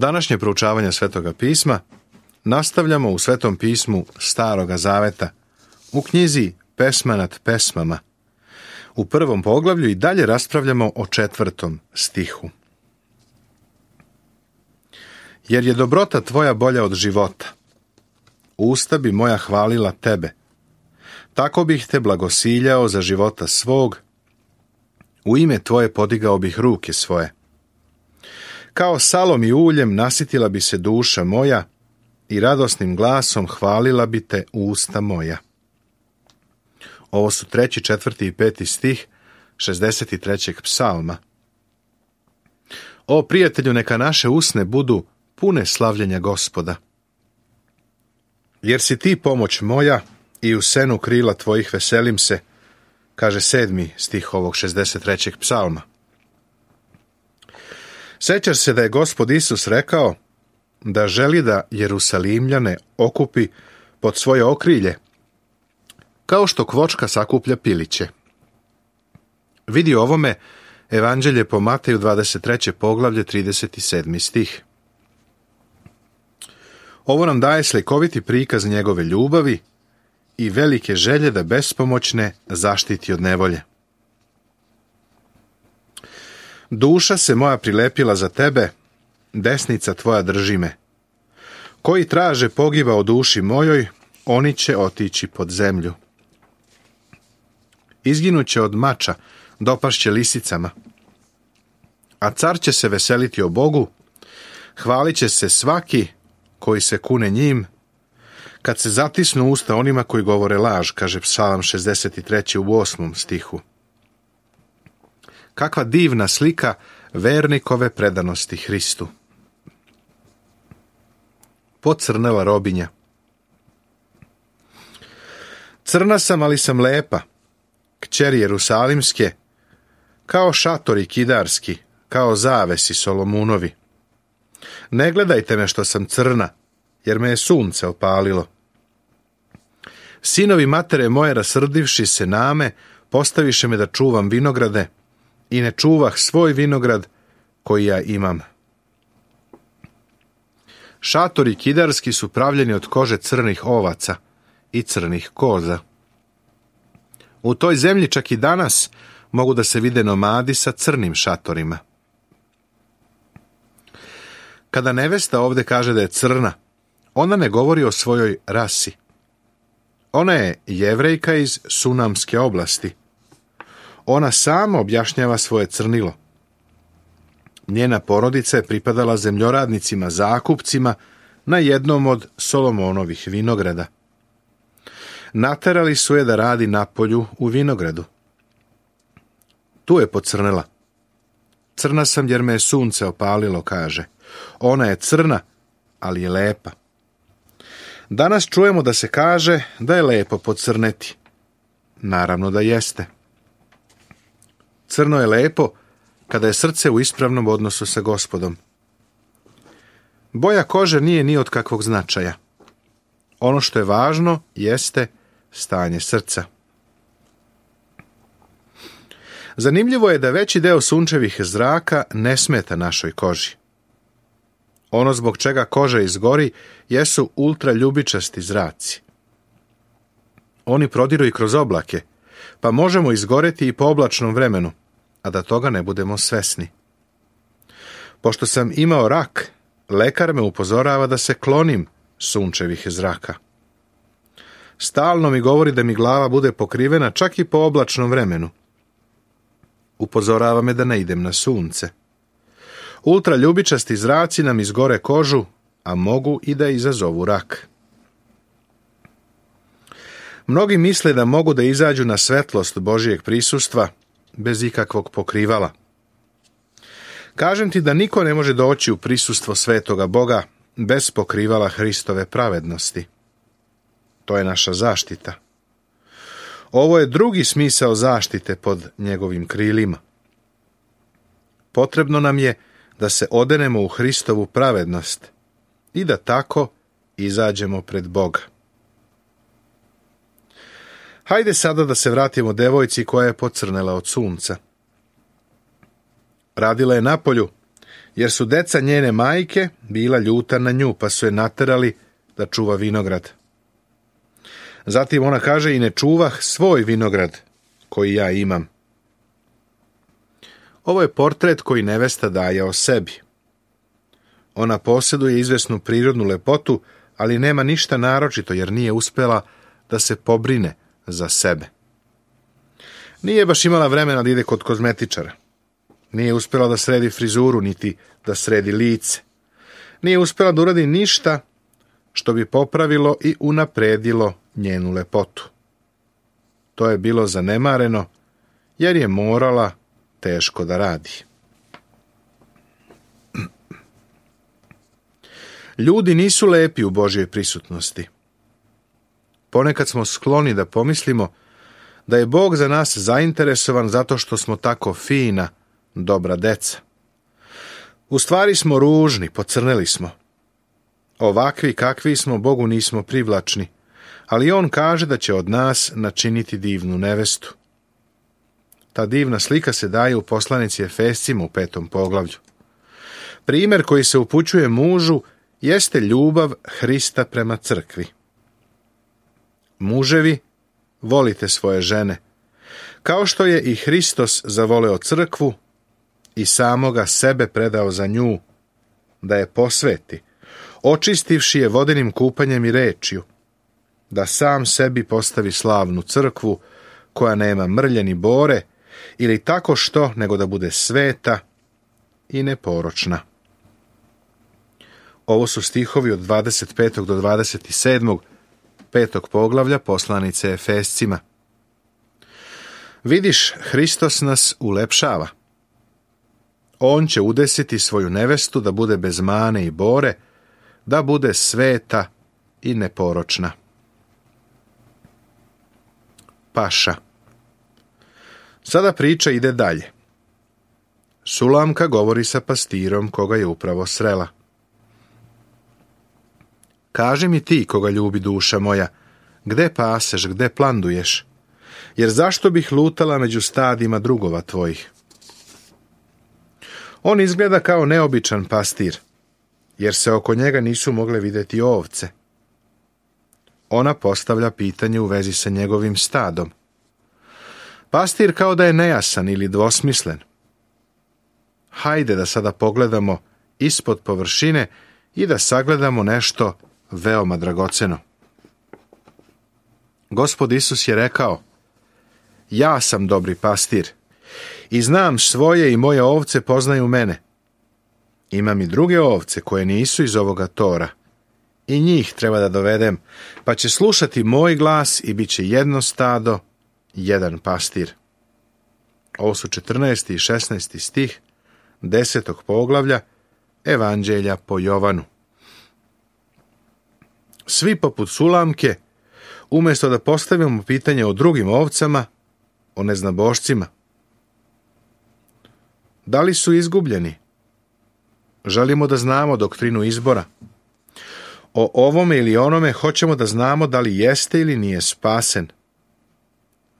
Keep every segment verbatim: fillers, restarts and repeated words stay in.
Današnje proučavanje Svetoga pisma nastavljamo u Svetom pismu Staroga zaveta, u knjizi Pesma nad pesmama. U prvom poglavlju i dalje raspravljamo o četvrtom stihu. Jer je dobrota tvoja bolja od života. Usta bi moja hvalila tebe. Tako bih te blagosiljao za života svog. U ime tvoje podigao bih ruke svoje. Kao salom i uljem nasitila bi se duša moja i radosnim glasom hvalila bi te usta moja. Ovo su treći, četvrti i peti stih šezdeset trećeg psalma. O prijatelju, neka naše usne budu pune slavljenja Gospoda. Jer si ti pomoć moja i u senu krila tvojih veselim se, kaže sedmi stih ovog šezdeset trećeg psalma. Sećaš se da je Gospod Isus rekao da želi da Jerusalimljane okupi pod svoje okrilje, kao što kvočka sakuplja piliće. Vidi ovome Evanđelje po Mateju dvadeset treće poglavlje trideset sedmi stih. Ovo nam daje slikoviti prikaz njegove ljubavi i velike želje da bespomoćne zaštiti od nevolje. Duša se moja prilepila za tebe, desnica tvoja drži me. Koji traže pogiba o duši mojoj, oni će otići pod zemlju. Izginuće od mača, dopašće lisicama. A car će se veseliti o Bogu, hvalit će se svaki koji se kune njim, kad se zatisnu usta onima koji govore laž, kaže Psalam šezdeset treći u osmom stihu. Kakva divna slika vernikove predanosti Hristu. Pocrnela robinja. Crna sam, ali sam lepa, kćeri Jerusalimske, kao šatori kidarski, kao zavesi Solomunovi. Ne gledajte me što sam crna, jer me je sunce opalilo. Sinovi matere moje rasrdivši se name, postaviše me da čuvam vinograde, i ne čuvah svoj vinograd koji ja imam. Šatori kidarski su pravljeni od kože crnih ovaca i crnih koza. U toj zemlji čak i danas mogu da se vide nomadi sa crnim šatorima. Kada nevesta ovdje kaže da je crna, ona ne govori o svojoj rasi. Ona je Jevrejka iz Sunamske oblasti. Ona sama objašnjava svoje crnilo. Njena porodica je pripadala zemljoradnicima, zakupcima na jednom od Solomonovih vinograda. Naterali su je da radi na polju u vinogradu. Tu je pocrnela. Crna sam jer me je sunce opalilo, kaže. Ona je crna, ali je lepa. Danas čujemo da se kaže da je lepo pocrneti. Naravno da jeste. Crno je lepo kada je srce u ispravnom odnosu sa Gospodom. Boja kože nije ni od kakvog značaja. Ono što je važno jeste stanje srca. Zanimljivo je da veći deo sunčevih zraka ne smeta našoj koži. Ono zbog čega koža izgori jesu ultraljubičasti zraci. Oni prodiru i kroz oblake, pa možemo izgoreti i po oblačnom vremenu, a da toga ne budemo svesni. Pošto sam imao rak, lekar me upozorava da se klonim sunčevih zraka. Stalno mi govori da mi glava bude pokrivena čak i po oblačnom vremenu. Upozorava me da ne idem na sunce. Ultraljubičasti zraci nam izgore kožu, a mogu i da izazovu rak. Mnogi misle da mogu da izađu na svetlost Božijeg prisustva bez ikakvog pokrivala. Kažem ti da niko ne može doći u prisustvo svetoga Boga bez pokrivala Hristove pravednosti. To je naša zaštita. Ovo je drugi smisao zaštite pod njegovim krilima. Potrebno nam je da se odenemo u Hristovu pravednost i da tako izađemo pred Boga. Hajde sada da se vratimo devojci koja je pocrnela od sunca. Radila je napolju jer su deca njene majke bila ljuta na nju, pa su je naterali da čuva vinograd. Zatim ona kaže, i ne čuvah svoj vinograd koji ja imam. Ovo je portret koji nevesta daje o sebi. Ona posjeduje izvesnu prirodnu lepotu, ali nema ništa naročito, jer nije uspjela da se pobrine za sebe. Nije baš imala vremena da ide kod kozmetičara. Nije uspjela da sredi frizuru, niti da sredi lice. Nije uspjela da uradi ništa što bi popravilo i unapredilo njenu lepotu. To je bilo zanemareno, jer je morala teško da radi. Ljudi nisu lepi u Božjoj prisutnosti. Ponekad smo skloni da pomislimo da je Bog za nas zainteresovan zato što smo tako fina, dobra deca. U stvari smo ružni, pocrneli smo. Ovakvi kakvi smo, Bogu nismo privlačni, ali on kaže da će od nas načiniti divnu nevestu. Ta divna slika se daje u poslanici Efescima u petom poglavlju. Primjer koji se upućuje mužu jeste ljubav Hrista prema crkvi. Muževi, volite svoje žene, kao što je i Hristos zavoleo crkvu i samoga sebe predao za nju, da je posveti, očistivši je vodenim kupanjem i rečju, da sam sebi postavi slavnu crkvu, koja nema mrlje ni bore, ili tako što, nego da bude sveta i neporočna. Ovo su stihovi od dvadeset petog do dvadeset sedmog petog poglavlja poslanice Efescima. Vidiš, Hristos nas ulepšava. On će udesiti svoju nevestu da bude bez mane i bore, da bude sveta i neporočna. Paša. Sada priča ide dalje. Sulamka govori sa pastirom koga je upravo srela. Kaži mi ti, koga ljubi duša moja, gde paseš, gde planduješ, jer zašto bih lutala među stadima drugova tvojih? On izgleda kao neobičan pastir, jer se oko njega nisu mogle vidjeti ovce. Ona postavlja pitanje u vezi sa njegovim stadom. Pastir kao da je nejasan ili dvosmislen. Hajde da sada pogledamo ispod površine i da sagledamo nešto veoma dragoceno. Gospod Isus je rekao, ja sam dobri pastir i znam svoje i moje ovce poznaju mene. Imam i druge ovce koje nisu iz ovoga tora i njih treba da dovedem, pa će slušati moj glas i bit će jedno stado, jedan pastir. Ovo su četrnaesti i šesnaesti stih desetog poglavlja Evanđelja po Jovanu. Svi poput Sulamke, umjesto da postavimo pitanje o drugim ovcama, o neznabošcima. Da li su izgubljeni? Želimo da znamo doktrinu izbora. O ovome ili onome hoćemo da znamo da li jeste ili nije spasen.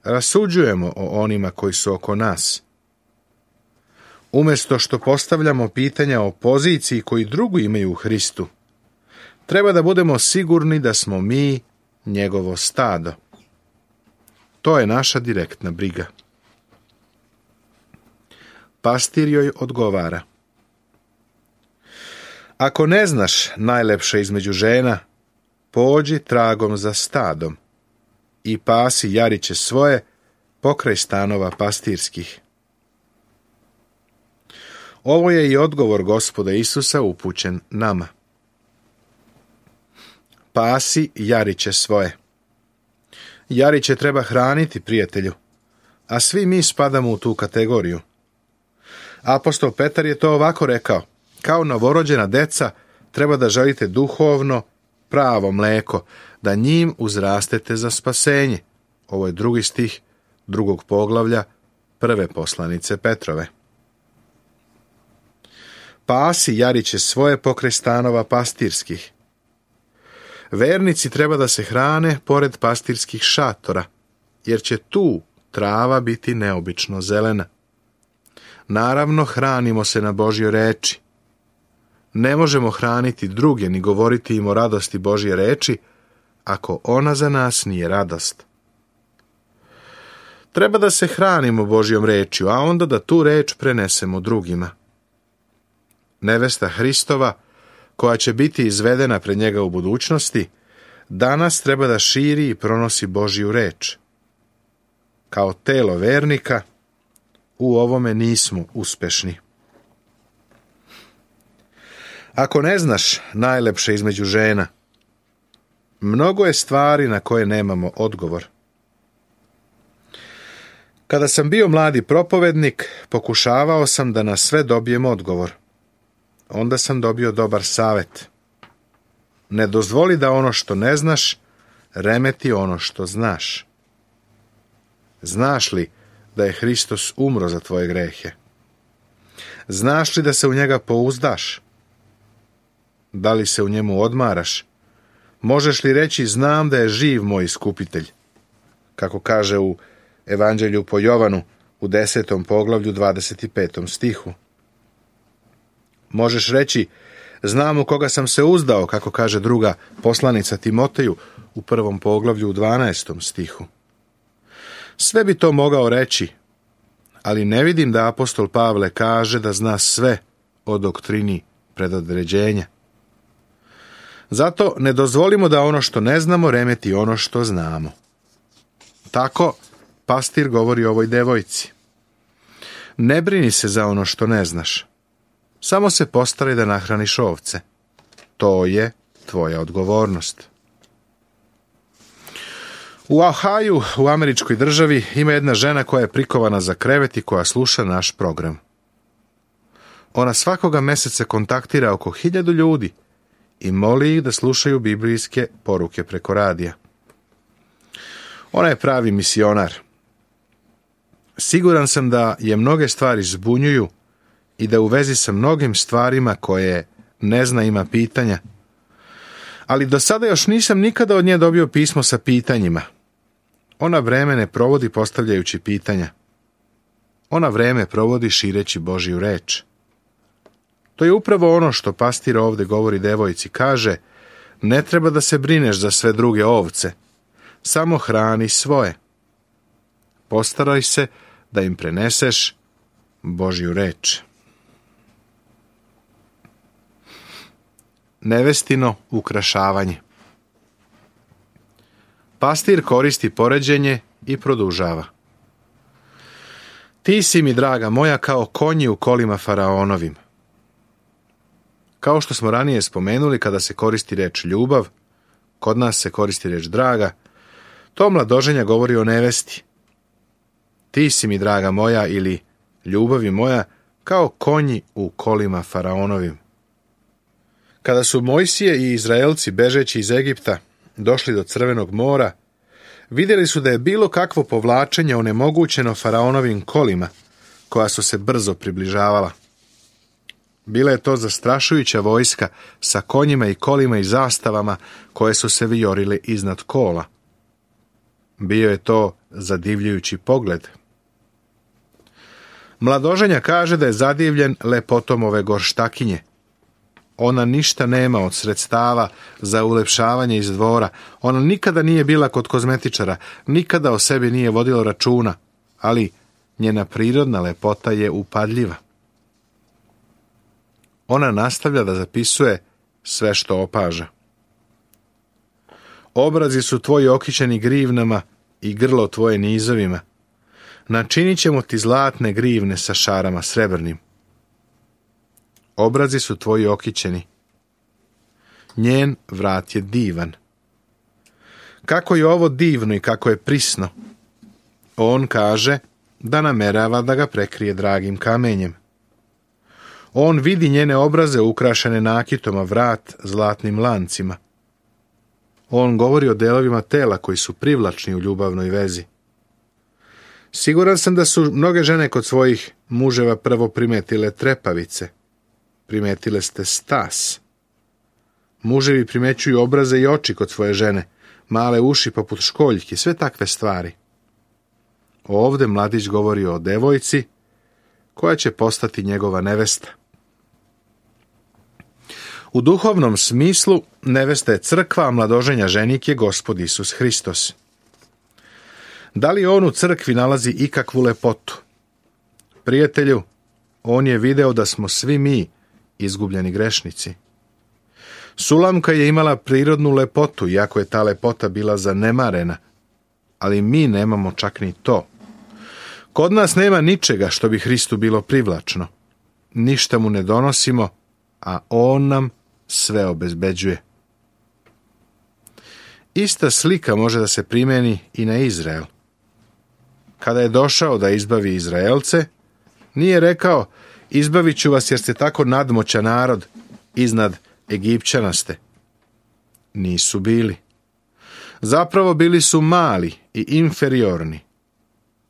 Rasuđujemo o onima koji su oko nas. Umjesto što postavljamo pitanja o poziciji koji drugi imaju u Hristu, treba da budemo sigurni da smo mi njegovo stado. To je naša direktna briga. Pastir joj odgovara. Ako ne znaš najlepše između žena, pođi tragom za stadom i pasi jariće svoje pokraj stanova pastirskih. Ovo je i odgovor Gospoda Isusa upućen nama. Pasi jariće svoje. Jariće treba hraniti, prijatelju, a svi mi spadamo u tu kategoriju. Apostol Petar je to ovako rekao, kao novorođena deca treba da želite duhovno, pravo mleko, da njim uzrastete za spasenje. Ovo je drugi stih drugog poglavlja prve poslanice Petrove. Pasi jariće svoje pokraj stanova pastirskih. Vernici treba da se hrane pored pastirskih šatora, jer će tu trava biti neobično zelena. Naravno, hranimo se na Božjoj reči. Ne možemo hraniti druge ni govoriti im o radosti Božje reči, ako ona za nas nije radost. Treba da se hranimo Božjom rečju, a onda da tu reč prenesemo drugima. Nevesta Hristova, koja će biti izvedena pred njega u budućnosti, danas treba da širi i pronosi Božju reč. Kao telo vernika, u ovome nismo uspešni. Ako ne znaš najlepše između žena, mnogo je stvari na koje nemamo odgovor. Kada sam bio mladi propovednik, pokušavao sam da na sve dobijem odgovor. Onda sam dobio dobar savjet. Ne dozvoli da ono što ne znaš, remeti ono što znaš. Znaš li da je Hristos umro za tvoje grehe? Znaš li da se u njega pouzdaš? Da li se u njemu odmaraš? Možeš li reći, znam da je živ moj iskupitelj? Kako kaže u Evanđelju po Jovanu u desetom poglavlju dvadeset petom stihu. Možeš reći, znam u koga sam se uzdao, kako kaže druga poslanica Timoteju u prvom poglavlju u dvanaestom stihu. Sve bi to mogao reći, ali ne vidim da apostol Pavle kaže da zna sve o doktrini predodređenja. Zato ne dozvolimo da ono što ne znamo remeti ono što znamo. Tako pastir govori ovoj devojci. Ne brini se za ono što ne znaš. Samo se postaraj da nahraniš ovce. To je tvoja odgovornost. U Ohaju, u američkoj državi, ima jedna žena koja je prikovana za krevet i koja sluša naš program. Ona svakoga meseca kontaktira oko hiljadu ljudi i moli ih da slušaju biblijske poruke preko radija. Ona je pravi misionar. Siguran sam da je mnoge stvari zbunjuju i da u vezi sa mnogim stvarima koje ne zna ima pitanja. Ali do sada još nisam nikada od nje dobio pismo sa pitanjima. Ona vreme ne provodi postavljajući pitanja. Ona vreme provodi šireći Božju reč. To je upravo ono što pastir ovdje govori devojci. Kaže, ne treba da se brineš za sve druge ovce. Samo hrani svoje. Postaraj se da im preneseš Božju reč. Nevestino ukrašavanje. Pastir koristi poređenje i produžava. Ti si mi, draga moja, kao konji u kolima faraonovim. Kao što smo ranije spomenuli, kada se koristi reč ljubav, kod nas se koristi reč draga, to mladoženja govori o nevesti. Ti si mi, draga moja, ili ljubavi moja, kao konji u kolima faraonovim. Kada su Mojsije i Izraelci bežeći iz Egipta došli do Crvenog mora, vidjeli su da je bilo kakvo povlačenje onemogućeno faraonovim kolima, koja su se brzo približavala. Bila je to zastrašujuća vojska sa konjima i kolima i zastavama koje su se vijorile iznad kola. Bio je to zadivljujući pogled. Mladoženja kaže da je zadivljen lepotom ove gorštakinje. Ona ništa nema od sredstava za ulepšavanje iz dvora. Ona nikada nije bila kod kozmetičara, nikada o sebi nije vodila računa, ali njena prirodna lepota je upadljiva. Ona nastavlja da zapisuje sve što opaža. Obrazi su tvoji okićeni grivnama i grlo tvoje nizovima. Načinit ćemo ti zlatne grivne sa šarama srebrnim. Obrazi su tvoji okićeni. Njen vrat je divan. Kako je ovo divno i kako je prisno. On kaže da namerava da ga prekrije dragim kamenjem. On vidi njene obraze ukrašene nakitom, a vrat zlatnim lancima. On govori o delovima tela koji su privlačni u ljubavnoj vezi. Siguran sam da su mnoge žene kod svojih muževa prvo primetile trepavice. Primetile ste stas. Muževi primećuju obraze i oči kod svoje žene, male uši poput školjki, sve takve stvari. Ovdje mladić govori o devojci koja će postati njegova nevesta. U duhovnom smislu nevesta je crkva, a mladoženja ženik je Gospod Isus Hristos. Da li on u crkvi nalazi ikakvu lepotu? Prijatelju, on je video da smo svi mi izgubljeni grešnici. Sulamka je imala prirodnu lepotu, iako je ta lepota bila zanemarena, ali mi nemamo čak ni to. Kod nas nema ničega što bi Hristu bilo privlačno. Ništa mu ne donosimo, a on nam sve obezbeđuje. Ista slika može da se primeni i na Izrael. Kada je došao da izbavi Izraelce, nije rekao, izbavit ću vas jer ste tako nadmoćan narod, iznad Egipćana ste. Nisu bili. Zapravo bili su mali i inferiorni.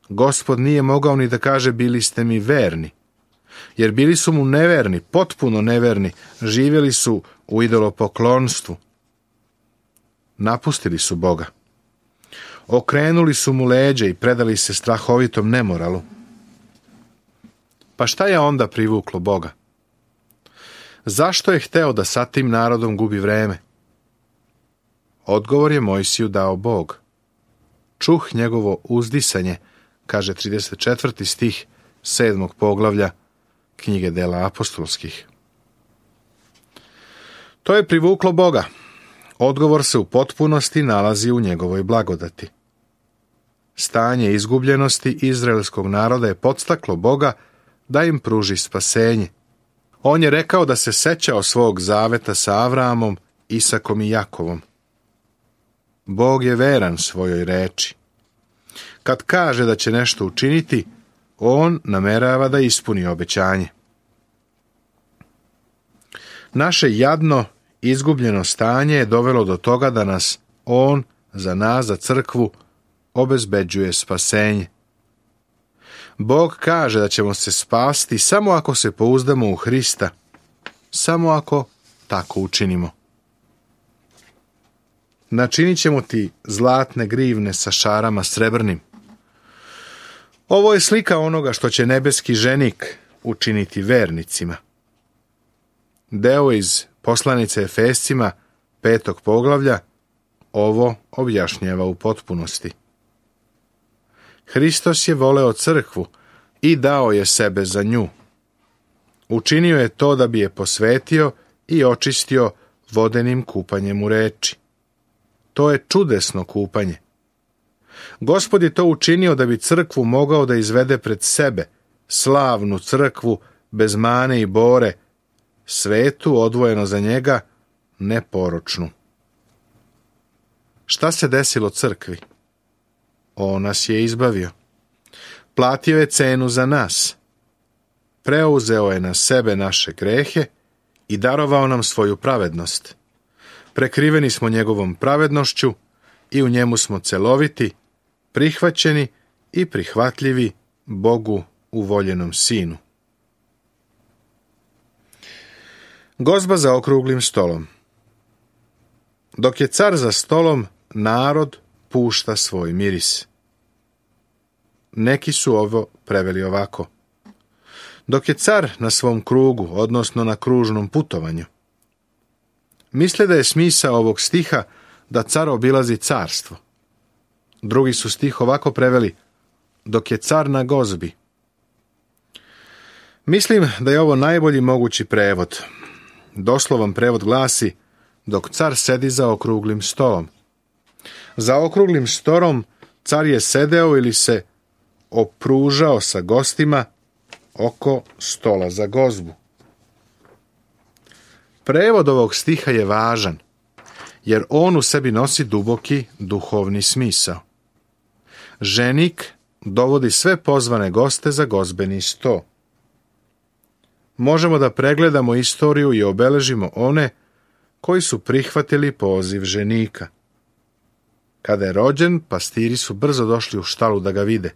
Gospod nije mogao ni da kaže bili ste mi verni, jer bili su mu neverni, potpuno neverni, živjeli su u idolopoklonstvu. Napustili su Boga. Okrenuli su mu leđa i predali se strahovitom nemoralu. Pa šta je onda privuklo Boga? Zašto je hteo da sa tim narodom gubi vreme? Odgovor je Mojsiju dao Bog. Čuh njegovo uzdisanje, kaže trideset četvrti stih sedmog poglavlja knjige Dela apostolskih. To je privuklo Boga. Odgovor se u potpunosti nalazi u njegovoj blagodati. Stanje izgubljenosti izraelskog naroda je podstaklo Boga da im pruži spasenje. On je rekao da se sećao svog zaveta sa Avramom, Isakom i Jakovom. Bog je veran svojoj reči. Kad kaže da će nešto učiniti, on namerava da ispuni obećanje. Naše jadno, izgubljeno stanje je dovelo do toga da nas on, za nas, za crkvu, obezbeđuje spasenje. Bog kaže da ćemo se spasti samo ako se pouzdamo u Hrista, samo ako tako učinimo. Načinit ćemo ti zlatne grivne sa šarama srebrnim. Ovo je slika onoga što će nebeski ženik učiniti vernicima. Deo iz poslanice Efescima, petog poglavlja, ovo objašnjava u potpunosti. Hristos je voleo crkvu i dao je sebe za nju. Učinio je to da bi je posvetio i očistio vodenim kupanjem u reči. To je čudesno kupanje. Gospod je to učinio da bi crkvu mogao da izvede pred sebe, slavnu crkvu, bez mane i bore, svetu odvojeno za njega, neporočnu. Šta se desilo crkvi? On nas je izbavio. Platio je cenu za nas. Preuzeo je na sebe naše grehe i darovao nam svoju pravednost. Prekriveni smo njegovom pravednošću i u njemu smo celoviti, prihvaćeni i prihvatljivi Bogu uvoljenom Sinu. Gozba za okruglim stolom. Dok je car za stolom, narod pušta svoj miris. Neki su ovo preveli ovako. Dok je car na svom krugu, odnosno na kružnom putovanju. Misle da je smisao ovog stiha da car obilazi carstvo. Drugi su stih ovako preveli, dok je car na gozbi. Mislim da je ovo najbolji mogući prevod. Doslovan prevod glasi, dok car sedi za okruglim stolom. Za okruglim stolom car je sedeo ili se opružao sa gostima oko stola za gozbu. Prevod ovog stiha je važan, jer on u sebi nosi duboki duhovni smisao. Ženik dovodi sve pozvane goste za gozbeni sto. Možemo da pregledamo istoriju i obeležimo one koji su prihvatili poziv ženika. Kada je rođen, pastiri su brzo došli u štalu da ga vide.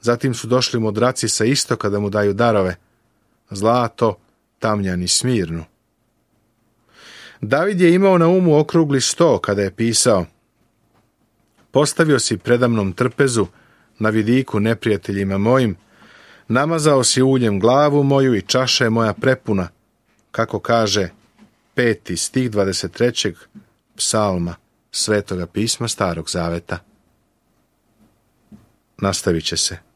Zatim su došli mudraci sa istoka da mu daju darove, zlato, tamjan i smirnu. David je imao na umu okrugli sto kada je pisao: postavio si predamnom trpezu na vidiku neprijateljima mojim, namazao si uljem glavu moju i čaša je moja prepuna, kako kaže peti stih dvadeset trećeg psalma Svetoga pisma Starog zaveta. Nastavit će se.